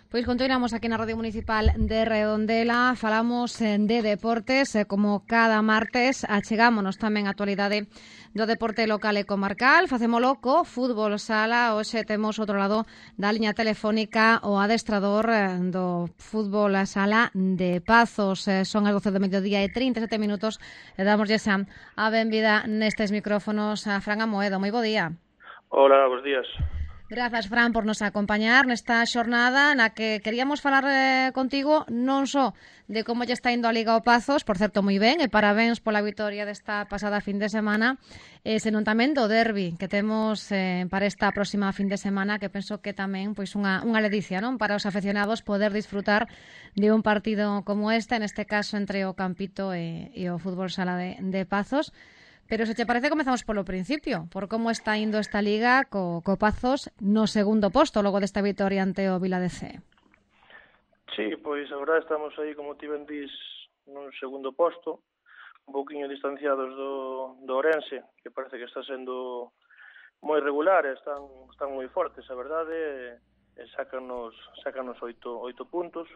Pois continuamos aquí na Radio Municipal de Redondela, falamos de deportes, como cada martes achegámonos tamén a actualidade do deporte local e comarcal, facémolo co fútbol sala. Hoxe temos outro lado da liña telefónica o adestrador do fútbol sala de Pazos. Son as 12 do mediodía e 37 minutos e damoslle xa a benvida nestes micrófonos a Fran Amoedo. Moi bo día. Hola, bons días. Grazas, Fran, por nos acompañar nesta xornada na que queríamos falar contigo non só de como lle está indo a Liga ao Pazos, por certo moi ben, e parabéns pola vitoria desta pasada fin de semana, senón tamén do derbi que temos para esta próxima fin de semana, que penso que tamén pois unha ledicia, non, para os afeccionados poder disfrutar de un partido como neste caso entre o Campito e o fútbol sala de Pazos. Pero se te parece, comezamos polo principio, por como está indo esta liga co Pazos no segundo posto, logo desta vitoria ante o Vila de Cee. Sí, pois a verdade estamos aí, como ti ben dís, nun segundo posto, un pouquiño distanciados do Ourense, que parece que está sendo moi regular, están moi fortes, a verdade, sácanos 8 puntos,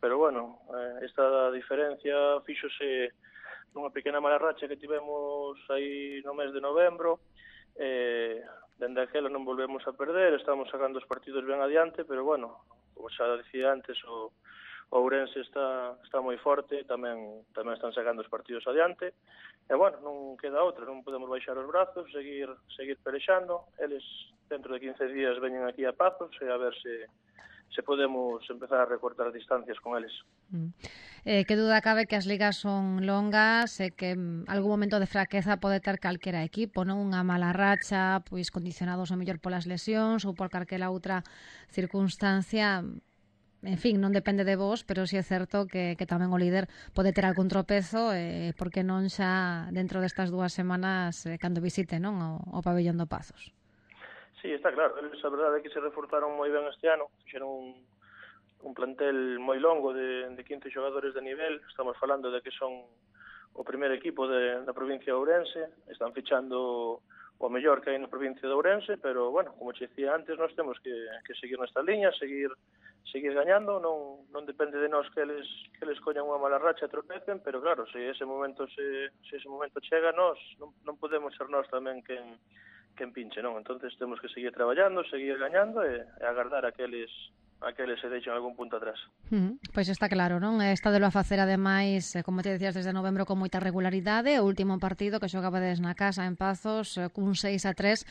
pero bueno, esta diferencia fíxose nunha pequena mala racha que tivemos aí no mes de novembro. Dende aquela non volvemos a perder, estamos sacando os partidos ben adiante, pero bueno, como xa dicía antes, o Ourense está moi forte, tamén están sacando os partidos adiante, e bueno, non queda outra, non podemos baixar os brazos, seguir pelexando. Eles dentro de 15 días veñen aquí a Pazos e a ver se podemos empezar a recortar distancias con eles. Que duda cabe que as ligas son longas e que algún momento de fraqueza pode ter calquera equipo, non? Unha mala racha, pois condicionados ao mellor polas lesións ou por calquera outra circunstancia. En fin, non depende de vos, pero si é certo que tamén o líder pode ter algún tropezo, porque non xa dentro destas 2 semanas cando visite, non, o pabellón do Pazos. Sí, está claro, eles a verdade é que se reforzaron moi ben este ano, fixeron un plantel moi longo de 15 xogadores de nivel. Estamos falando de que son o primeiro equipo da provincia de Ourense, están fichando o mellor que hai na provincia de Ourense, pero, bueno, como che dicía antes, nós temos que seguir nesta liña, seguir gañando, non depende de nós que eles coñan unha mala racha e tropecen, pero claro, se ese momento chega, nós non podemos ser nós tamén quen pinche, non? Entonces temos que seguir traballando, seguir gañando e agardar a que eles se deixen algún punto atrás. Pois está claro, non? Está de lo a facer, ademais, como te decías, desde novembro con moita regularidade. O último partido que xogabades na casa en Pazos cun 6-3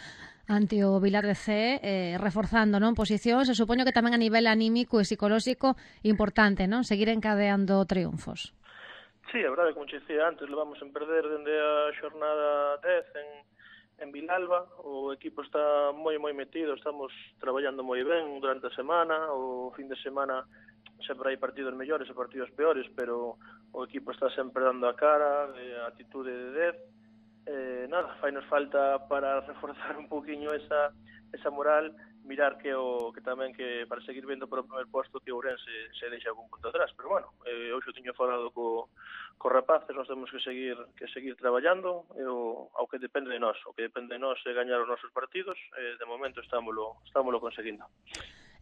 ante o Vilar de Cee, reforzando, non, posicións, e supoño que tamén a nivel anímico e psicolóxico importante, non? Seguir encadeando triunfos. Sí, a verdade, como che dicía antes, levamos en perder dende a xornada 10 en Vilalba. O equipo está moi metido, estamos traballando moi ben durante a semana. O fin de semana sempre hai partidos mellores e partidos peores, pero o equipo está sempre dando a cara, a actitude de 10. Nada, fainos falta para reforzar un pouquiño esa moral, mirar que tamén que para seguir vendo por o primer posto que Ourense se deixa algún punto atrás, pero bueno, hoxe tiño falado co rapaces, nós temos que seguir traballando, ao que depende de nós. O que depende de nós é gañar os nosos partidos, de momento estámolo conseguindo.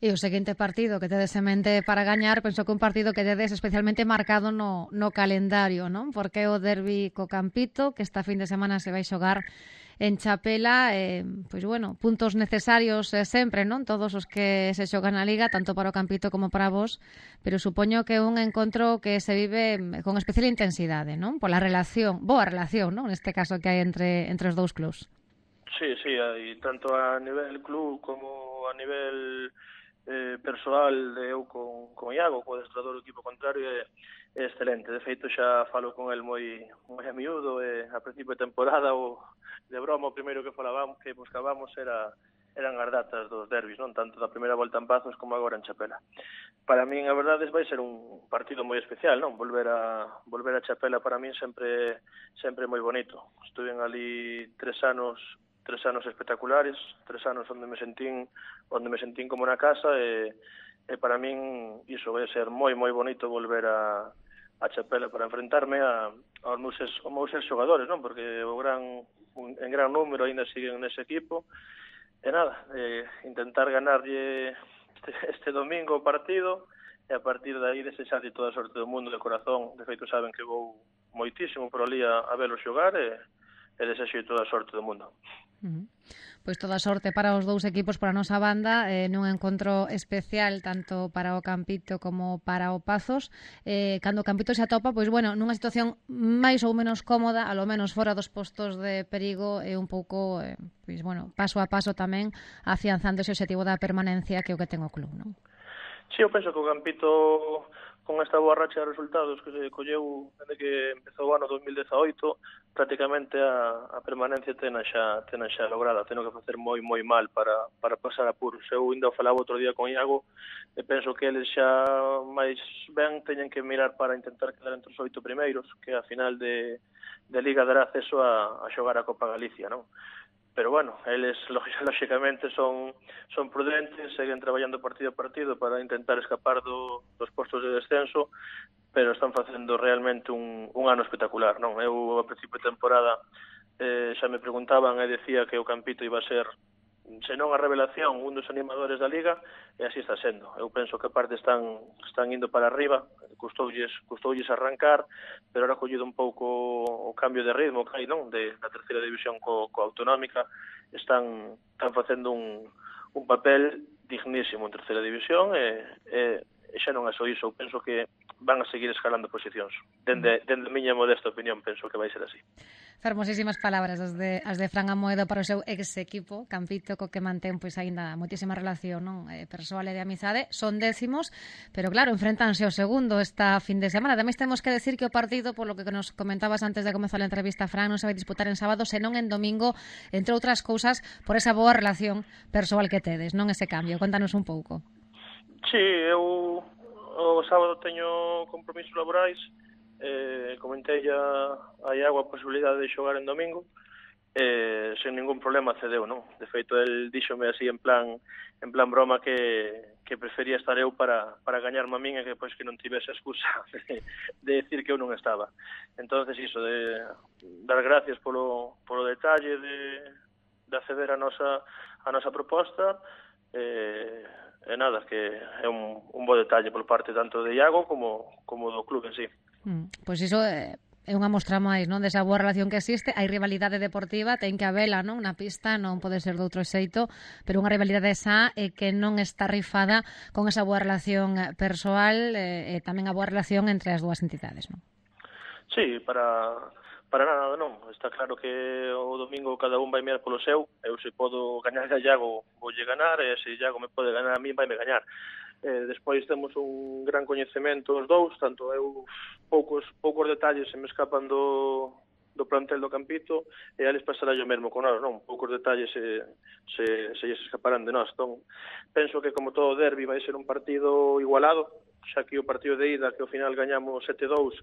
E o seguinte partido que tedes en mente para gañar, penso que un partido que tedes especialmente marcado no calendario, non? Porque o derbi co Campito, que esta fin de semana se vai xogar en Chapela, pois bueno, puntos necesarios sempre, non? Todos os que se xogan na Liga, tanto para o Campito como para vos, pero supoño que é un encontro que se vive con especial intensidade, non? Pola boa relación, non? Neste caso que hai entre os dous clubs. Sí, hai tanto a nivel club como a nivel persoal de eu con Iago, co adestrador do equipo contrario, é excelente. De feito, xa falo con el moi a miúdo, a principio de temporada, de broma, o primeiro que buscábamos eran as datas dos derbis, non, tanto da primeira volta en Pazos como agora en Chapela. Para min, a verdade, vai ser un partido moi especial, non? Volver a Chapela para min sempre moi bonito. Estuve ali 3 anos espectaculares, 3 anos onde me sentín como na casa, e para min iso vai ser moi bonito volver a Chapela para enfrentarme aos meus xogadores, non? Porque en gran número ainda siguen nese equipo, e nada, intentar ganarlle este domingo o partido, e a partir de aí desexarlle toda a sorte do mundo de corazón. De feito saben que vou moitísimo por ali a velo xogar e desexarlle toda a sorte do mundo. Pois toda a sorte para os dous equipos, para a nosa banda, nun encontro especial tanto para o Campito como para o Pazos. Cando o Campito se atopa, pois bueno, nunha situación máis ou menos cómoda, alo menos fora dos postos de perigo, e un pouco, pois bueno, paso a paso tamén afianzando ese objetivo da permanencia que é o que ten o club, non? Sí, eu penso que o Campito, con esta boa racha de resultados que se colleu desde que empezou o ano 2018, prácticamente a permanencia tena xa lograda. Teno que facer moi mal para pasar apuros. Eu ainda falaba outro día con Iago e penso que eles xa máis ben teñen que mirar para intentar quedar entre os 8 primeiros, que a final de Liga dará acceso a xogar a Copa Galicia, non? Pero bueno, eles lógicamente son prudentes, seguen traballando partido a partido para intentar escapar dos postos de descenso, pero están facendo realmente un ano espectacular, non? Eu a principio de temporada xa me preguntaban e decía que o Campito iba a ser, se non a revelación, un dos animadores da Liga, e así está sendo. Eu penso que aparte están indo para arriba, custoulles arrancar, pero ahora collido un pouco o cambio de ritmo que hai, non? Da terceira división co autonómica, están facendo un papel dignísimo en terceira división e xa non é só iso. Eu penso que van a seguir escalando posicións. Dende a miña modesta opinión, penso que vai ser así. Fermosísimas palabras as de Fran Amoedo para o seu ex-equipo, Campito, co que mantén pois aínda moitísima relación, non, persoal e de amizade. Son décimos, pero claro, enfrentanse ao segundo esta fin de semana. Tamén temos que decir que o partido, polo que nos comentabas antes de comezar a entrevista, Fran, non se vai disputar en sábado, senón en domingo, entre outras cousas, por esa boa relación persoal que tedes, non ese cambio. Contanos un pouco. Sí, eu o sábado teño compromisos laborais. Comentei a Iago a posibilidade de xogar en domingo, sen ningún problema cedeu, non? De feito, el díxome así en plan broma que prefería estar eu para gañarme a min e que pois que non tivese excusa de decir que eu non estaba. Entonces, iso, de dar gracias polo detalle de acceder a nosa proposta, e nada, que é un bo detalle por parte tanto de Iago como do club en sí. Pois iso é unha mostra máis, non, desa boa relación que existe. Hai rivalidade deportiva, ten que habela, non, na pista, non pode ser de outro xeito, pero unha rivalidade esa que non está rifada con esa boa relación persoal e tamén a boa relación entre as dúas entidades, non? Sí, para nada, non. Está claro que o domingo cada un vai mirar polo seu. Eu se podo gañar a Iago, voulle ganar, e se Iago me pode ganar a mí, vai me gañar. Despois temos un gran coñecemento os dous, tanto eu poucos detalles se me escapan do plantel do Campito, e a eles pasará o mesmo con nós, non? Poucos detalles se lles escaparán de nós. Entón, penso que como todo derbi vai ser un partido igualado, xa que o partido de ida, que ao final gañamos 7-2,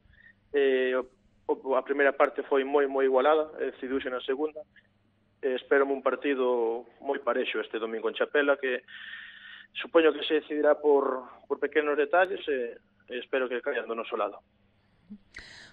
a primeira parte foi moi igualada, decidiuse na segunda. Espérame un partido moi parexo este domingo en Chapela, que supoño que se decidirá por pequenos detalles, e espero que caian do noso lado.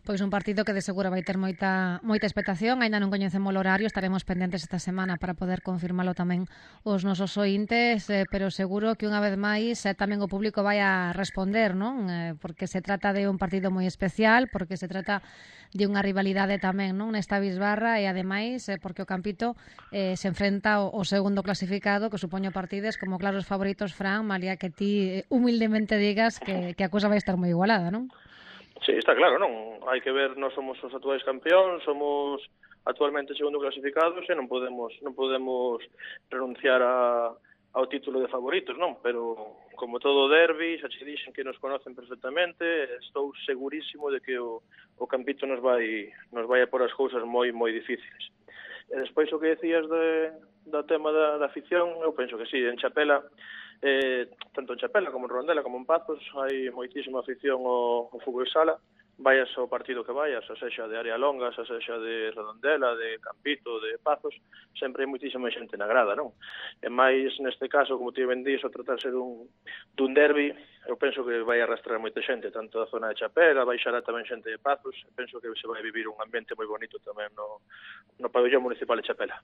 Pois un partido que de seguro vai ter moita expectación. Ainda non coñecemos o horario, estaremos pendentes esta semana para poder confirmalo tamén os nosos ointes, pero seguro que unha vez máis tamén o público vai a responder, non? Porque se trata de un partido moi especial, porque se trata de unha rivalidade tamén, non, nesta bisbarra, e ademais porque o Campito se enfrenta ao segundo clasificado, que supoño partides como claros favoritos, Fran, malia que ti humildemente digas que a cousa vai estar moi igualada, non? Sí, está claro, non? Hai que ver, nós somos os actuais campeóns, somos actualmente segundo clasificados e non podemos renunciar ao título de favoritos, non? Pero, como todo derbi, xa che dixen que nos conocen perfectamente, estou segurísimo de que o Campito nos vai a por as cousas moi difíciles. E despois o que decías do tema da afición, eu penso que sí, en Chapela, tanto en Chapela como en Rondela como en Pazos, hai moitísima afición ao fútbol sala, vayas ao partido que vayas, a sexa de Área Longa, a sexa de Redondela, de Campito, de Pazos, sempre hai moitísima xente na grada, non? E máis neste caso, como ti ben dís, o tratarse dun derbi, eu penso que vai arrastrar moita xente, tanto da zona de Chapela, baixará tamén xente de Pazos, penso que se vai vivir un ambiente moi bonito tamén no pabellón municipal de Chapela.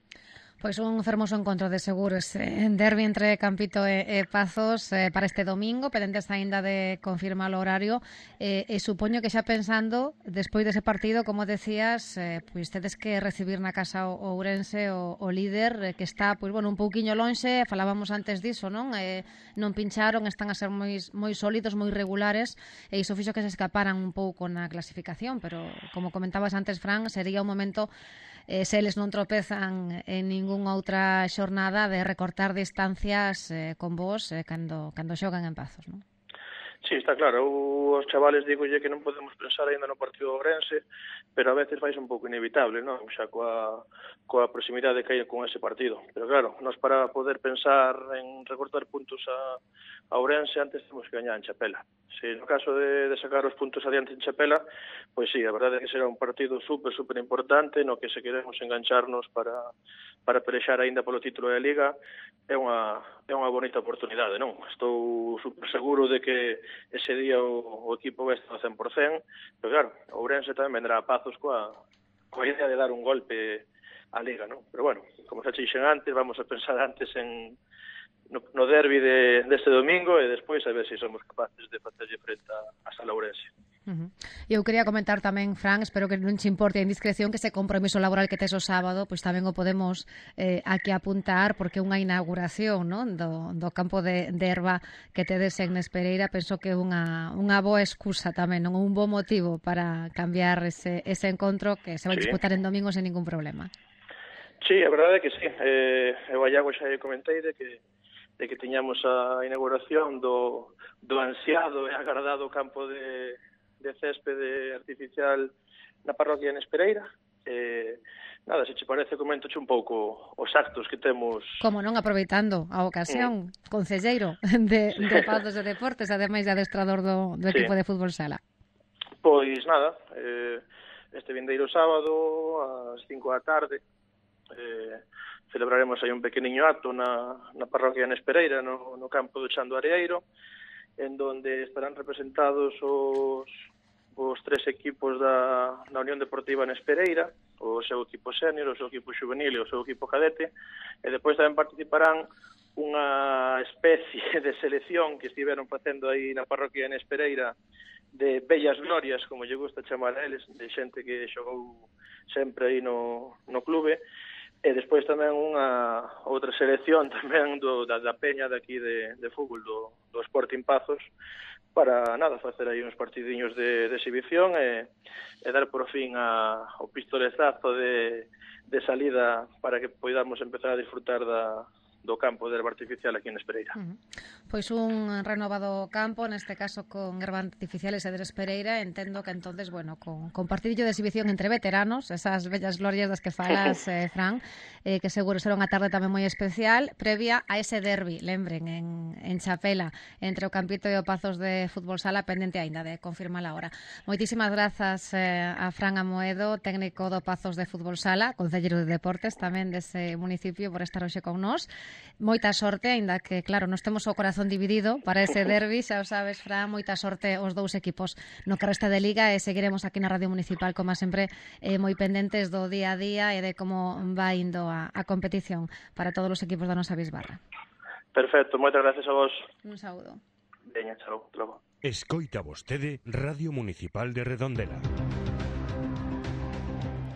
Pois un fermoso encontro de seguros en derbi entre Campito e Pazos para este domingo, pendentes aínda de confirmar o horario, e supoño que xa pensando, despois dese partido, como decías, pois tedes que recibir na casa o Ourense o líder, que está, pois bueno, un pouquiño lonxe, falábamos antes diso, non? Non pincharon, están a ser moi sólidos, moi regulares, e iso fixo que se escaparan un pouco na clasificación, pero como comentabas antes, Fran, sería un momento se eles non tropezan en ningunha outra xornada de recortar distancias con vos cando xogan en Pazos, non? Sí, está claro, os chavales digolle que non podemos pensar aínda no partido do Ourense, pero a veces fai un pouco inevitable, non? Xa coa proximidade que hai con ese partido. Pero claro, nós para poder pensar en recortar puntos a Ourense antes temos que gañar en Chapela. Se no caso de sacar os puntos adiante en Chapela, pois sí, a verdade é que será un partido super importante no que se queremos engancharnos para pelexar aínda polo título da Liga. É unha bonita oportunidade, non? Estou super seguro de que ese día o equipo vai estar ao 100%, pero claro, o Ourense tamén vendrá a Pazos coa idea de dar un golpe á Liga, non? Pero bueno, como xa dixen antes, vamos a pensar antes no derbi deste domingo e despois a ver se somos capaces de facerlle frente a Sala Ourense. Eu quería comentar tamén, Fran, espero que non che importe a indiscreción, que ese compromiso laboral que tes o sábado, pois tamén o podemos aquí apuntar, porque unha inauguración, non, do campo de herba que tedes en Nespereira, penso que é unha boa excusa tamén, non, un bo motivo para cambiar ese encontro que se vai disputar en domingo sen ningún problema. Sí, a verdade é que sí. Eu a Iago xa comentei de que tiñamos a inauguración do ansiado e agardado campo de céspede artificial na parroquia de Nespereira. Nada, se che parece, coméntoche un pouco os actos que temos. Como non, aproveitando a ocasión, concelleiro de Pazos de Deportes, ademais de adestrador do equipo de fútbol sala. Pois nada, este vindeiro sábado ás 5 da tarde celebraremos aí un pequeniño acto na parroquia de Nespereira, no campo do Chan do Areeiro, en donde estarán representados os tres equipos da Unión Deportiva Nespereira, o seu equipo sénior, o seu equipo juvenil e o seu equipo cadete, e depois tamén participarán unha especie de selección que estiveron facendo aí na parroquia de Nespereira de bellas glorias, como lle gusta chamar a eles, de xente que xogou sempre aí no clube, e despois tamén unha outra selección tamén da peña daqui de fútbol do Sporting Pazos, para nada, facer aí uns partidiños de exhibición e dar por fin ao pistolezazo de salida para que poidamos empezar a disfrutar do campo de herba artificial aquí en Nespereira. Pois un renovado campo, neste caso con herba artificial e de Nespereira, entendo que entonces, bueno, con partidillo de exhibición entre veteranos, esas bellas glorias das que falas, Fran, que seguro será unha tarde tamén moi especial, previa a ese derbi, lembren, en Chapela, entre o Campito e o Pazos de Fútbol Sala, pendente aínda de confirmar a hora. Moitísimas grazas a Fran Amoedo, técnico do Pazos de Fútbol Sala, concelleiro de Deportes tamén dese municipio, por estar hoxe con nós. Moita sorte, aínda que, claro, nos temos o corazón dividido para ese derbi, xa o sabes, Fran, moita sorte os dous equipos no que resta de Liga, e seguiremos aquí na Radio Municipal, como sempre, moi pendentes do día a día e de como vai indo a competición para todos os equipos da nosa bisbarra. Perfecto, moitas gracias a vos. Un saúdo. Veña, chao, logo. Escoita vostede Radio Municipal de Redondela.